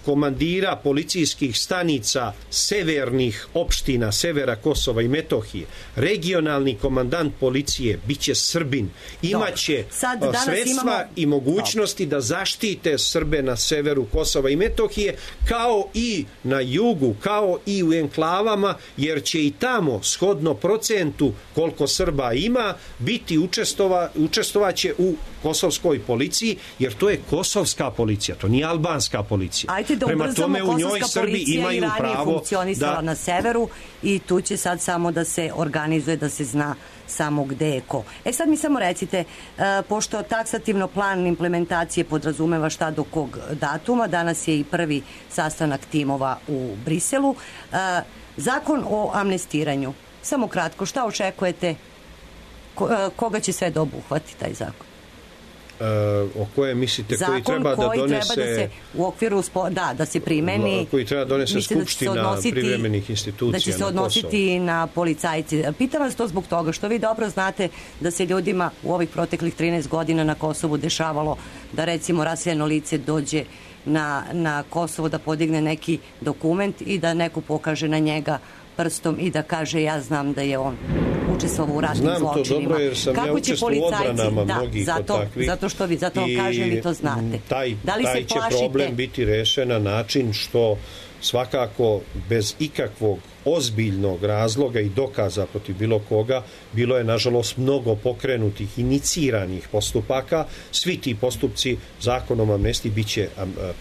komandira policijskih stanica severnih opština, severa Kosova i Metohije, regionalni komandant policije biće Srbin, imaće sredstva imamo... i mogućnosti da zaštite Srbe na severu Kosova i Metohije, kao i na jugu, kao i u enklavama, jer će i tamo, shodno procentu koliko Srba ima, biti učestova, učestovaće u kosovskoj policiji, jer to je kosovska policija, to nije albanska policija. Ajde da Prema ubrzamo, tome u njoj Srbi imaju pravo funkcionisala da... na severu i tu će sad samo da se organizuje, da se zna samo gde je ko. E sad mi samo recite, uh, pošto taksativno plan implementacije podrazumeva šta do kog datuma, danas je i prvi sastanak timova u Briselu, uh, zakon o amnestiranju, samo kratko, šta očekujete, ko, uh, koga će sve da obuhvati taj zakon? Uh, o koje mislite zakon koji treba koji da donese treba da se u okviru spo, da, da se primeni, koji treba da donese skupština da odnositi, privremenih institucija, da će se odnositi na, na policajci. Pitam vas to zbog toga što vi dobro znate da se ljudima u ovih proteklih trinaest godina na Kosovu dešavalo da recimo raseljeno lice dođe na, na Kosovo da podigne neki dokument i da neko pokaže na njega prstom i da kaže ja znam da je on učestvovao u ratnim Znam zločinima. Znam to dobro jer sam kako ja učestvovao u odbranama da, mnogih zato, od takvih. Zato što vi, zato vam kažem i to znate. Taj, da li taj se će plašite... problem biti rešen na način što svakako bez ikakvog ozbiljnog razloga i dokaza protiv bilo koga, bilo je nažalost mnogo pokrenutih, iniciranih postupaka. Svi ti postupci zakonom amnestiji bit će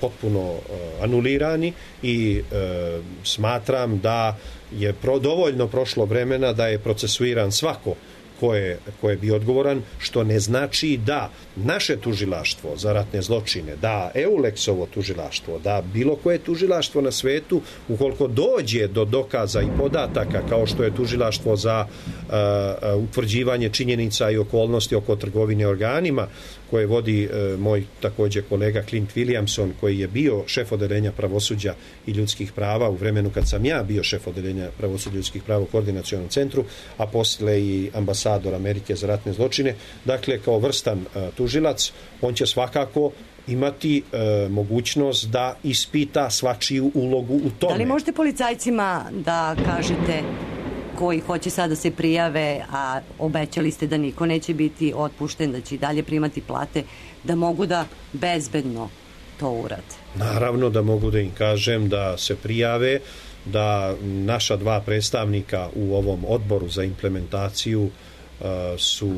potpuno anulirani i e, smatram da je pro, dovoljno prošlo vremena da je procesuiran svako ko je, ko je bio odgovoran, što ne znači da naše tužilaštvo za ratne zločine, da Euleksovo tužilaštvo, da bilo koje tužilaštvo na svetu, ukoliko dođe do dokaza i podataka, kao što je tužilaštvo za uh, utvrđivanje činjenica i okolnosti oko trgovine organima, koje vodi uh, moj također kolega Clint Williamson, koji je bio šef odeljenja pravosuđa i ljudskih prava u vremenu kad sam ja bio šef odeljenja pravosuđa i ljudskih prava u Koordinacionom centru, a posle i ambasador Amerike za ratne zločine. Dakle, kao vrstan uh, tužilac, on će svakako imati uh, mogućnost da ispita svačiju ulogu u tome. Da li možete policajcima da kažete koji hoće sad da se prijave, a obećali ste da niko neće biti otpušten, da će i dalje primati plate, da mogu da bezbedno to urade? Naravno da mogu da im kažem da se prijave, da naša dva predstavnika u ovom odboru za implementaciju uh, su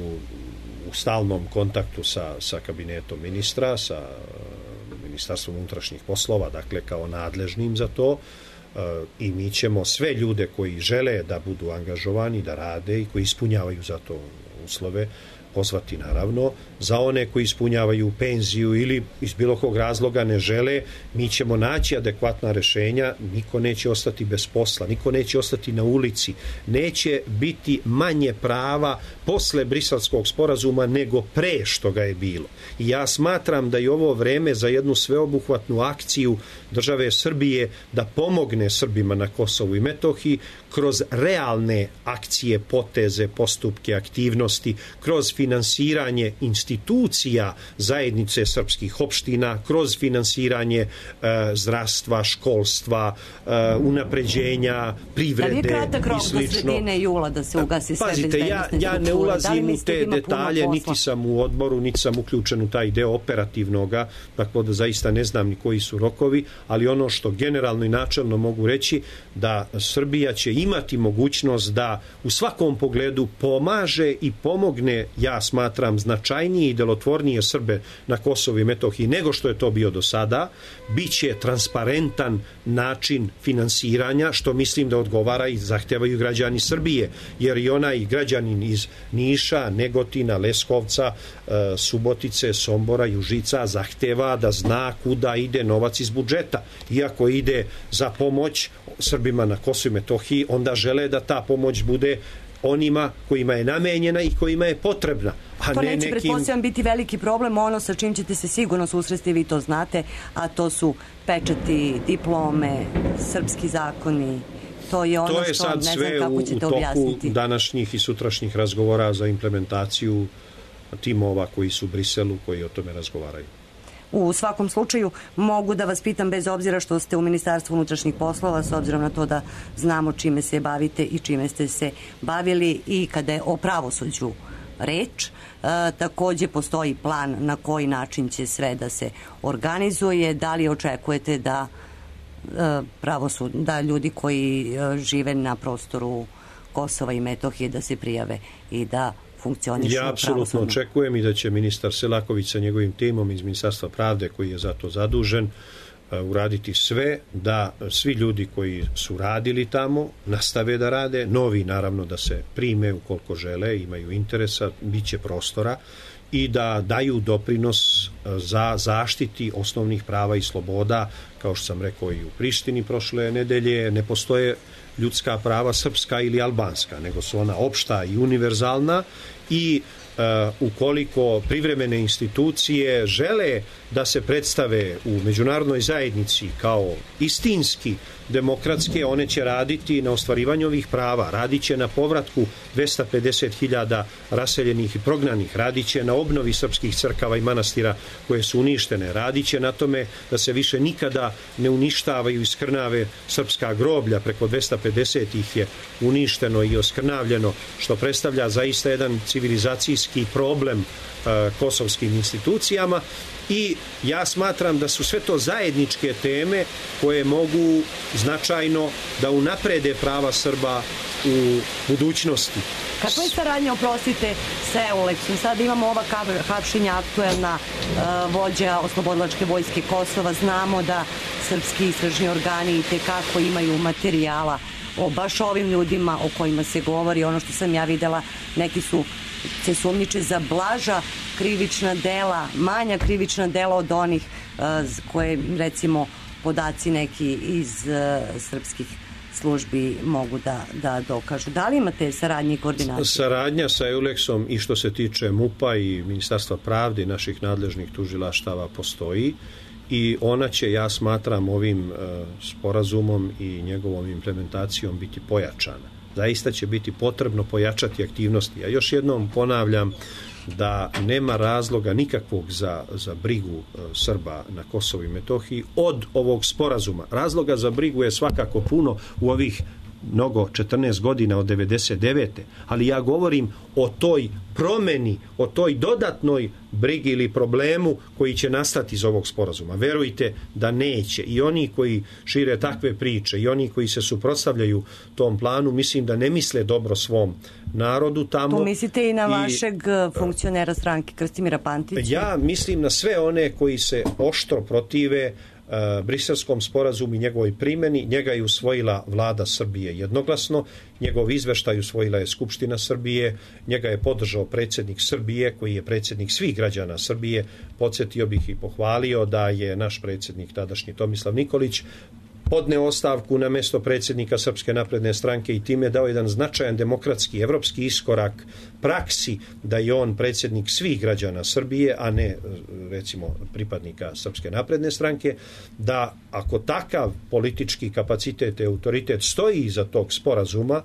u stalnom kontaktu sa, sa kabinetom ministra, sa uh, ministarstvom unutrašnjih poslova, dakle kao nadležnim za to, uh, i mi ćemo sve ljude koji žele da budu angažovani, da rade i koji ispunjavaju za to uslove, pozvati naravno. Za one koji ispunjavaju penziju ili iz bilo kog razloga ne žele, mi ćemo naći adekvatna rešenja, niko neće ostati bez posla, niko neće ostati na ulici, neće biti manje prava posle Briselskog sporazuma nego pre što ga je bilo. I ja smatram da je ovo vreme za jednu sveobuhvatnu akciju države Srbije da pomogne Srbima na Kosovu i Metohiji kroz realne akcije, poteze, postupke, aktivnosti, kroz finansiranje institucija zajednice srpskih opština, kroz finansiranje e, zdravstva, školstva, e, unapređenja, privrede i slično. Da li je kratak rok do sredine jula da se ugasi sve bezbednostne strukture? Ja, ja ne ulazim u te detalje, niti sam u odboru, niti sam uključen u taj deo operativnoga, tako da zaista ne znam ni koji su rokovi, ali ono što generalno i načelno mogu reći, da Srbija će imati mogućnost da u svakom pogledu pomaže i pomogne ja smatram, značajnije i delotvornije Srbe na Kosovu i Metohiji nego što je to bio do sada, bit će transparentan način finansiranja, što mislim da odgovara i zahtevaju građani Srbije, jer i onaj građanin iz Niša, Negotina, Leskovca, Subotice, Sombora i Užica zahteva da zna kuda ide novac iz budžeta. Iako ide za pomoć Srbima na Kosovu i Metohiji, onda žele da ta pomoć bude onima kojima je namenjena i kojima je potrebna. A to ne neće, nekim... pretpostavljam, biti veliki problem, ono sa čim ćete se sigurno susresti, vi to znate, a to su pečati, diplome, srpski zakoni. To je ono to je što sad ne znam sve kako u, ćete u toku objasniti. Današnjih i sutrašnjih razgovora za implementaciju timova koji su u Briselu, koji o tome razgovaraju. U svakom slučaju mogu da vas pitam, bez obzira što ste u Ministarstvu unutrašnjih poslova, s obzirom na to da znamo čime se bavite i čime ste se bavili i kada je o pravosuđu reč, e, takođe postoji plan na koji način će sve da se organizuje. Da li očekujete da e, pravosud, da ljudi koji e, žive na prostoru Kosova i Metohije da se prijave i da funkcionišu? Ja apsolutno očekujem i da će ministar Selaković sa njegovim timom iz Ministarstva pravde, koji je za to zadužen, uraditi sve da svi ljudi koji su radili tamo nastave da rade, novi naravno da se prime ukoliko žele, imaju interesa, bit će prostora, i da daju doprinos za zaštiti osnovnih prava i sloboda. Kao što sam rekao i u Prištini prošle nedelje, ne postoje ljudska prava srpska ili albanska, nego su ona opšta i univerzalna, i uh, ukoliko privremene institucije žele da se predstave u međunarodnoj zajednici kao istinski demokratske, one će raditi na ostvarivanju ovih prava, radit će na povratku dvesta pedeset hiljada raseljenih i prognanih, radit će na obnovi srpskih crkava i manastira koje su uništene, radit će na tome da se više nikada ne uništavaju i skrnave srpska groblja, preko dvesta pedeset ih je uništeno i oskrnavljeno, što predstavlja zaista jedan civilizacijski problem uh, kosovskim institucijama. I ja smatram da su sve to zajedničke teme koje mogu značajno da unaprede prava Srba u budućnosti. Kako je saradnja, oprostite, sa Euleksom? Sada imamo ova hapšenja aktuelna, uh, vođa oslobodilačke vojske Kosova. Znamo da srpski istražni organi i tekako imaju materijala o baš ovim ljudima o kojima se govori. Ono što sam ja videla, neki su se sumnjiče za blaža krivična dela, manja krivična dela od onih uh, koje, recimo, podaci neki iz uh, srpskih službi mogu da, da dokažu. Da li imate saradnje i koordinacije? Saradnja sa Euleksom i što se tiče MUP-a i Ministarstva pravde i naših nadležnih tužilaštava postoji, i ona će, ja smatram, ovim uh, sporazumom i njegovom implementacijom biti pojačana. Zaista će biti potrebno pojačati aktivnosti. Ja još jednom ponavljam da nema razloga nikakvog za, za brigu uh, Srba na Kosovu i Metohiji od ovog sporazuma. Razloga za brigu je svakako puno u ovih mnogo četrnaest godina od devedeset devete. Ali ja govorim o toj promeni, o toj dodatnoj brigi ili problemu koji će nastati iz ovog sporazuma. Verujte da neće. I oni koji šire takve priče i oni koji se suprotstavljaju tom planu, mislim da ne misle dobro svom narodu tamo. Tu mislite i na vašeg i, funkcionera stranke Krstimira Pantića? Ja mislim na sve one koji se oštro protive Uh, Briselskom sporazumu i njegovoj primjeni. Njega je usvojila vlada Srbije jednoglasno, njegov izveštaj usvojila je Skupština Srbije, njega je podržao predsjednik Srbije, koji je predsjednik svih građana Srbije. Podsjetio bih i pohvalio da je naš predsjednik tadašnji Tomislav Nikolić podneo ostavku na mesto predsjednika Srpske napredne stranke i time dao jedan značajan demokratski, evropski iskorak praksi da je on predsjednik svih građana Srbije, a ne, recimo, pripadnika Srpske napredne stranke, da ako takav politički kapacitet i autoritet stoji iza tog sporazuma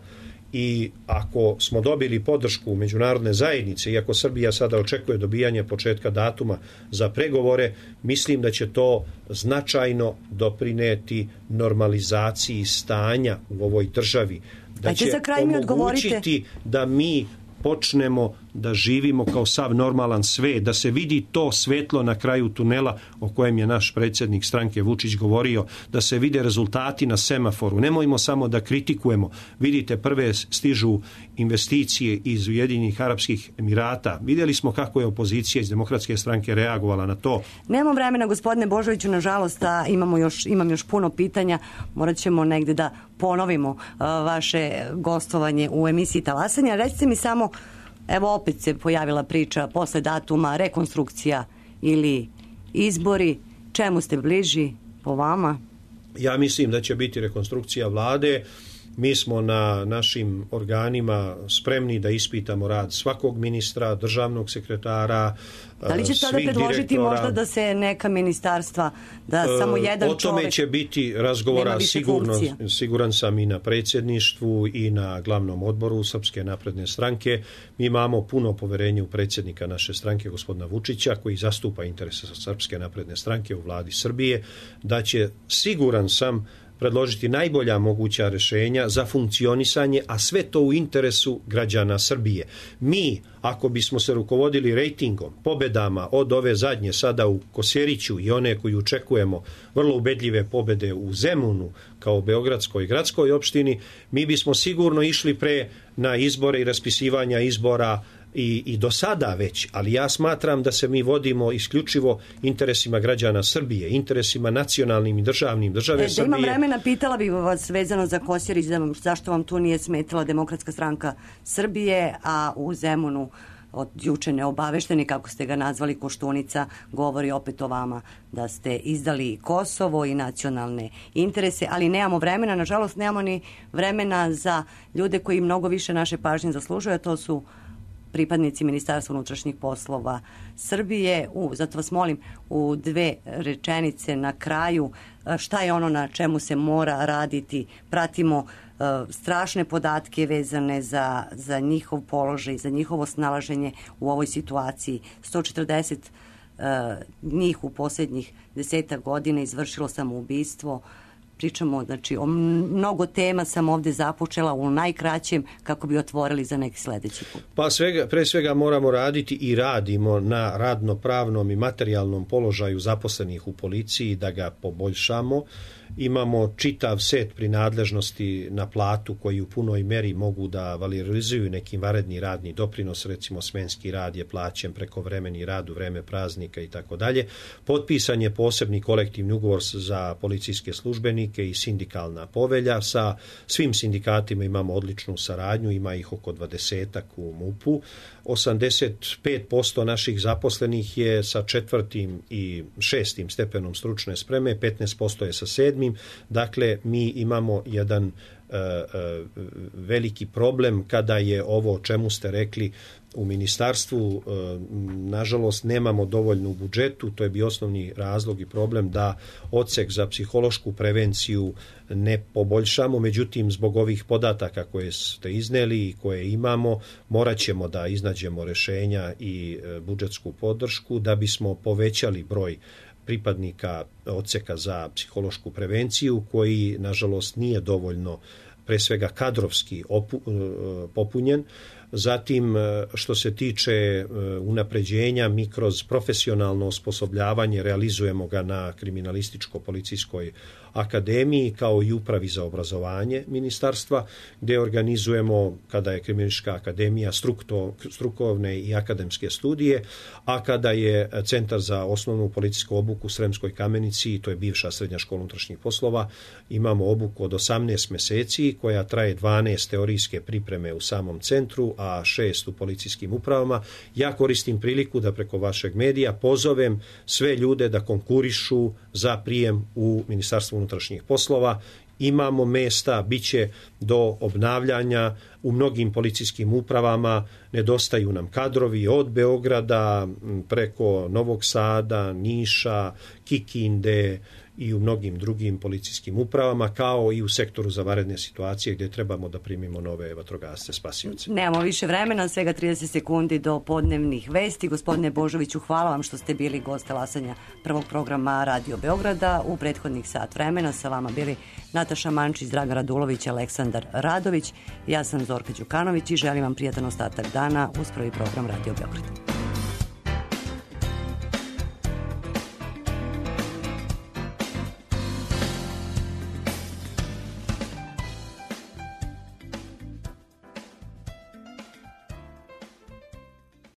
i ako smo dobili podršku međunarodne zajednice, iako Srbija sada očekuje dobijanje početka datuma za pregovore, mislim da će to značajno doprineti normalizaciji stanja u ovoj državi. Da će omogućiti da mi počnemo da živimo kao sav normalan svet, da se vidi to svetlo na kraju tunela o kojem je naš predsjednik stranke Vučić govorio, da se vide rezultati na semaforu. Nemojmo samo da kritikujemo. Vidite, prve stižu investicije iz Ujedinjenih Arapskih Emirata. Vidjeli smo kako je opozicija iz Demokratske stranke reagovala na to. Nemamo vremena, gospodine Božoviću, nažalost, a imamo još, imam još puno pitanja. Morat ćemo negde da ponovimo uh, vaše gostovanje u emisiji Talasanja. Recite mi samo, evo opet se pojavila priča posle datuma, rekonstrukcija ili izbori. Čemu ste bliži po vama? Ja mislim da će biti rekonstrukcija vlade. Mi smo na našim organima spremni da ispitamo rad svakog ministra, državnog sekretara, da li će tada predložiti možda da se neka ministarstva, da e, samo jedan čovjek... O tome čovjek će biti razgovora, sigurno, siguran sam i na predsjedništvu i na glavnom odboru Srpske napredne stranke. Mi imamo puno poverenje u predsjednika naše stranke, gospodina Vučića, koji zastupa interese Srpske napredne stranke u vladi Srbije, da će, siguran sam, predložiti najbolja moguća rješenja za funkcionisanje, a sve to u interesu građana Srbije. Mi, ako bismo se rukovodili rejtingom, pobedama od ove zadnje sada u Kosjeriću i one koju očekujemo vrlo ubedljive pobede u Zemunu kao beogradskoj gradskoj opštini, mi bismo sigurno išli pre na izbore i raspisivanja izbora I, i do sada već, ali ja smatram da se mi vodimo isključivo interesima građana Srbije, interesima nacionalnim i državnim države e, Srbije. Da imam vremena, pitala bih vas vezano za Kosjerić, zašto vam tu nije smetala Demokratska stranka Srbije, a u Zemunu od juče neobavešteni, kako ste ga nazvali, Koštunica, govori opet o vama da ste izdali Kosovo i nacionalne interese, ali nemamo vremena, nažalost nemamo ni vremena za ljude koji mnogo više naše pažnje zaslužuju, a to su pripadnici Ministarstva unutrašnjih poslova Srbije. U, zato vas molim u dve rečenice na kraju šta je ono na čemu se mora raditi. Pratimo uh, strašne podatke vezane za, za njihov položaj, za njihovo snalaženje u ovoj situaciji. sto četrdeset uh, njih u posljednjih desetak godina izvršilo samoubistvo. Pričamo, znači, o mnogo tema sam ovdje započela u najkraćem kako bi otvorili za neki sljedeći put. Pa svega, pre svega moramo raditi i radimo na radno-pravnom i materijalnom položaju zaposlenih u policiji, da ga poboljšamo. Imamo čitav set prinadležnosti na platu koji u punoj meri mogu da valorizuju neki vanredni radni doprinos, recimo smenski rad je plaćen, prekovremeni rad u vreme praznika i tako dalje. Potpisan je posebni kolektivni ugovor za policijske službenike i sindikalna povelja. Sa svim sindikatima imamo odličnu saradnju, ima ih oko dvadesetak u MUP-u. osamdeset pet posto naših zaposlenih je sa četvrtim i šestim stepenom stručne spreme, petnaest posto je sa sedmim. Dakle, mi imamo jedan uh, uh, veliki problem kada je ovo o čemu ste rekli u ministarstvu, uh, nažalost nemamo dovoljno u budžetu, to je bio osnovni razlog i problem da odsek za psihološku prevenciju ne poboljšamo, međutim zbog ovih podataka koje ste izneli i koje imamo, morat ćemo da iznađemo rješenja i uh, budžetsku podršku da bismo povećali broj pripadnika odseka za psihološku prevenciju koji nažalost nije dovoljno pre svega kadrovski opu, popunjen. Zatim, što se tiče unapređenja, mi kroz profesionalno osposobljavanje realizujemo ga na kriminalističko-policijskoj akademiji kao i upravi za obrazovanje ministarstva, gdje organizujemo, kada je kriminalistička akademija, strukto, strukovne i akademske studije, a kada je Centar za osnovnu policijsku obuku u Sremskoj Kamenici, to je bivša srednja škola unutrašnjih poslova, imamo obuku od osamnaest mjeseci koja traje dvanaest teorijske pripreme u samom centru, a šest u policijskim upravama. Ja koristim priliku da preko vašeg medija pozovem sve ljude da konkurišu za prijem u Ministarstvo unutrašnjih poslova. Imamo mesta, bit će do obnavljanja u mnogim policijskim upravama, nedostaju nam kadrovi od Beograda preko Novog Sada, Niša, Kikinde i u mnogim drugim policijskim upravama, kao i u sektoru za vanredne situacije gdje trebamo da primimo nove vatrogasce spasioce. Nemamo više vremena, svega trideset sekundi do podnevnih vesti. Gospodine Božoviću, hvala vam što ste bili gost talasanja prvog programa Radio Beograda. U prethodnih sat vremena sa vama bili Nataša Mančić, Dragan Radulović, Aleksandar Radović. Ja sam Zorka Đukanović i želim vam prijatan ostatak dana uz prvi program Radio Beograda.